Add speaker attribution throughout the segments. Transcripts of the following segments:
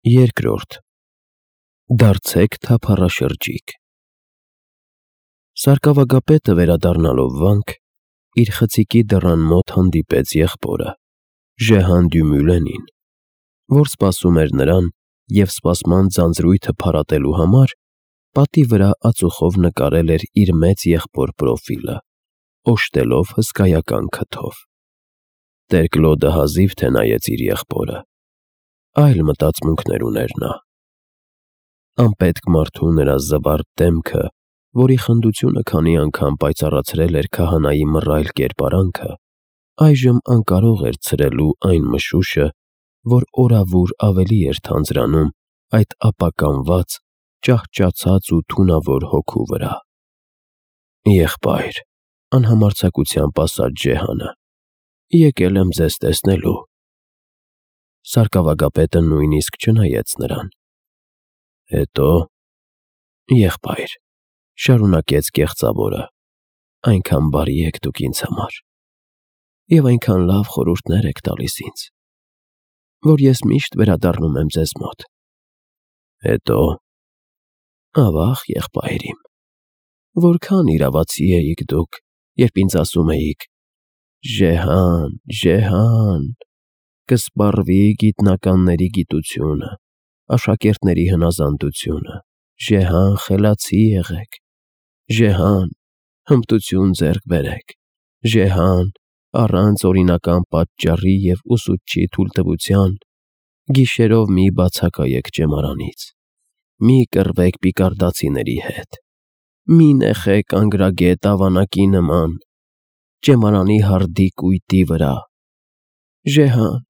Speaker 1: Երկրորդ. Դարձեք թափառաշրջիկ։ Սարկավագապետը վերադառնալով վանք, իր խցիկի դռան մոտ հանդիպեց եղբորը, Ժեհան Դյումուլենին, որ սպասում էր նրան և սպասման ձանձրույթը փարատելու համար պատի վրա ածուխով նկարել էր իր մեծ եղբոր պրոֆիլը, օժտելով հսկայական քթով։ Տեր-Կլոդը հազիվ թե նայեց իր եղբորը, այլ մտածմունքներ ուներ նա։ Անպետք մարդու նրա զվարթ դեմքը, որի խնդությունը քանի անգամ պայծառացրել էր քահանայի մռայլ կերպարանքը, այժմ անկարող էր ցրելու այն մշուշը, որ օրավուր ավելի էր թանձրանում այդ ապականված, ճահճացած ու թունավոր հոգու վրա։ Եղբայր, անհամարձակությամբ ասաց Ժեհանը, եկել եմ ձեզ տեսնելու։ Սարկավագապետը նույնիսկ չնայեց նրան։ Հետո, եղբայր, շարունակեց կեղծավորը, այնքան բարի եք դուք ինձ համար, և այնքան լավ խորհուրդներ եք տալիս ինձ, որ ես միշտ վերադառնում եմ ձեզ մոտ։ Հետո, ավաղ, եղբայր իմ, որքան իրավացի էիք դուք, երբ ինձ ասում էիք. «Ժեհան, Ժեհան, կսպառվի գիտնականների գիտությունը, աշակերտների հնազանդությունը, Ժեհան, խելացի եղեք, Ժեհան, հմտություն ձեռք բերեք, Ժեհան, առանց օրինական պատճառի և ուսուցչի թույլտվության, գիշերով մի բացակայեք ճեմարանից, մի կռվեք պիկարդացիների հետ, մի նեխեք անգրագետ ավանակի նման, ճեմարանի հարդի կույտի վրա, Ժեհան,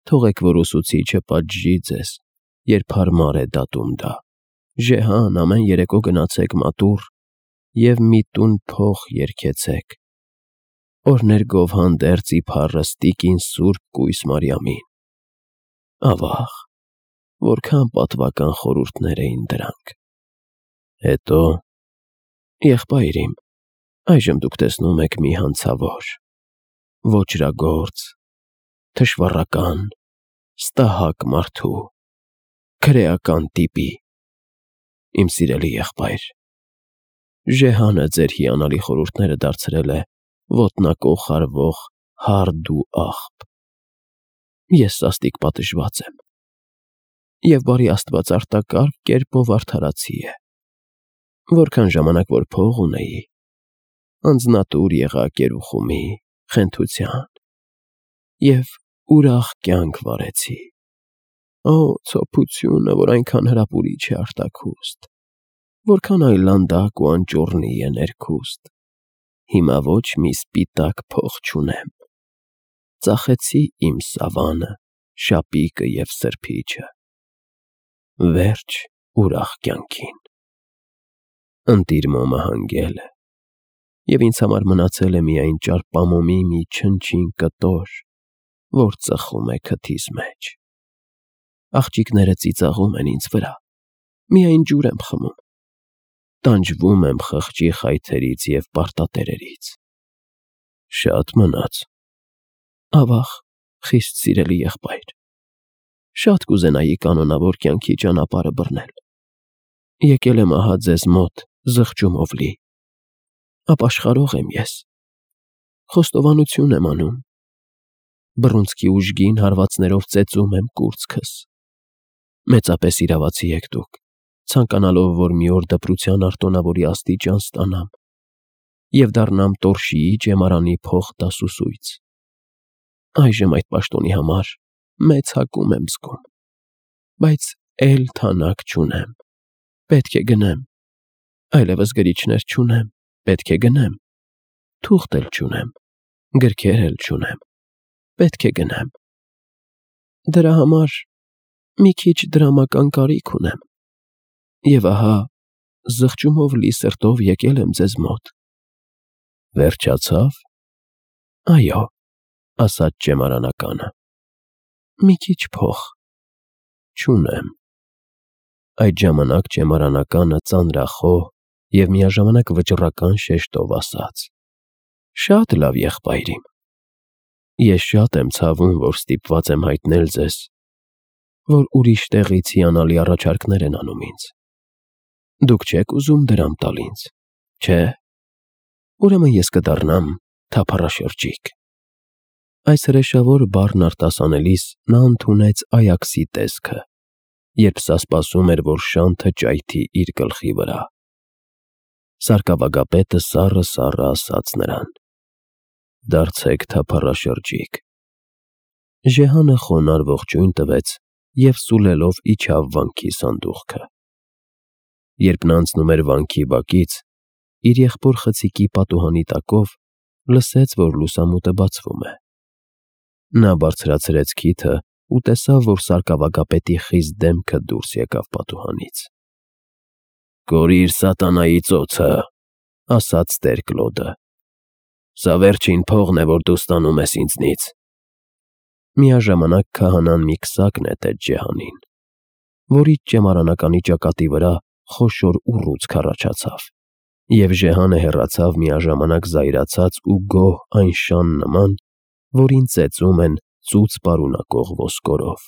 Speaker 1: թողեք, որ ուսուցիչը պատժի ձեզ, երբ հարմար է դատում դա, Ժեհան, ամեն երեկո գնացեք մատուռ և մի տուն փող երգեցեք, օրհներ գովհանդերձ իբառս տիկին Սուրբ Կույս Մարիամին։ Ավաղ, որքան պատվական խորհուրդներ էին դրանք։ Հետո, եղբայր իմ, այժմ դուք տեսնում եք մի հանցավոր, ոճրագործ, թշվառական, ստահակ մարդու, քրեական տիպի, իմ սիրելի եղբայր, Ժեհանը ձեր հիանալի խորհուրդները դարձրել է ոտնակոխ արվող հարդ ու աղբ։ Ես սաստիկ պատժված եմ, և բարի Աստված արտակարգ կերպով արդարացի է։ Որքան ժամանակ որ փող ունեի, անձնատուր եղա կերուխումի, խենթության և ուրախ կյանք վարեցի։ Օ, ցոփությունը, որ այնքան հրապուրիչ է արտաքուստ, որքան այլանդակ ու անճոռնի է ներքուստ, հիմա ոչ մի սպիտակ փող չունեմ, ծախեցի իմ սավանը, շապիկը և սրբիչը։ Վերջ ուրախ կյանքին։ Ընտիր մոմը հանգել է, և ինձ համար մնացել է միայն ճարպամոմի մի չնչին կտոր, որ ծխում է քթիս մեջ։ Աղջիկները ծիծաղում են ինձ վրա, միայն ջուր եմ խմում, տանջվում եմ խղճի խայթերից և պարտատերերից։ Շատ մնաց։ Ավաղ, խիստ սիրելի եղբայր, շատ կուզենայի կանոնավոր կյանքի ճանապարհը բռնել։ Եկել եմ ահա ձեզ մոտ զղջումով լի, ապաշխարող եմ ես, խոստովանություն եմ անում, բռունցքի ուժգին հարվածներով ծեծում եմ կուրծքս։ Մեծապես իրավացի եք դուք, ցանկանալով, որ մի օր դպրության արտոնավորի աստիճան ստանամ և դառնամ Տորշիի ճեմարանի փոխդասուսույց։ Այժմ այդ պաշտոնի համար մեծ հակում եմ զգում, բայց էլ թանակ չունեմ, պետք է գնեմ, այլևս գրիչներ չունեմ, պետք է գնեմ, թուղթ էլ չունեմ, գրքեր էլ չունեմ, պետք է գնեմ։ Դրա համար մի քիչ դրամական կարիք ունեմ, և ահա զղջումով լի սրտով եկել եմ ձեզ մոտ։ Վերջացավ։ Այո, ասաց ճեմարանականը, մի քիչ փող չունեմ։ Այդ ժամանակ ճեմարանականը ծանրախոհ և միաժամանակ վճռական շեշտով ասաց. Շատ լավ, եղբայր իմ, ես շատ եմ ցավում, որ ստիպված եմ հայտնել ձեզ, որ ուրիշ տեղից հիանալի առաջարկներ են անում ինձ։ Դուք չեք ուզում դրամ տալ ինձ, չէ՞։ Ուրեմն ես կդառնամ թափառաշրջիկ։ Այս հրեշավոր բառն արտասանելիս նա ընդունեց Այաքսի տեսքը, երբ սա սպասում էր, որ շանթը ճայթի իր գլխի վրա։ Սարկավագապետը սառը ասաց նրան. «Դարձեք թափառաշրջիկ»։ Ժեհանը խոնարհ ողջույն տվեց և սուլելով իջավ վանքի սանդուղքը։ Երբ նա անցնում էր վանքի բակից, իր եղբոր խցիկի պատուհանի տակով լսեց, որ լուսամուտը բացվում է։ Նա բարձրացրեց քիթը ու տեսավ, որ սարկավագապետի խիստ դեմքը դուրս եկավ պատուհանից։ «Կորիր սատանայի ծոցը», ասաց Տեր Կլոդը։ «Սա վերջին փողն է, որ դու ստանում ես ինձնից»։ Միաժամանակ քահանան մի քսակ նետեց Ժեհանին, որից ճեմարանականի ճակատի վրա խոշոր ուռուցք առաջացավ, և Ժեհանը հեռացավ միաժամանակ զայրացած ու գոհ այն շան նման, որին ծեծում են ծուծ պարունակող ոսկորով։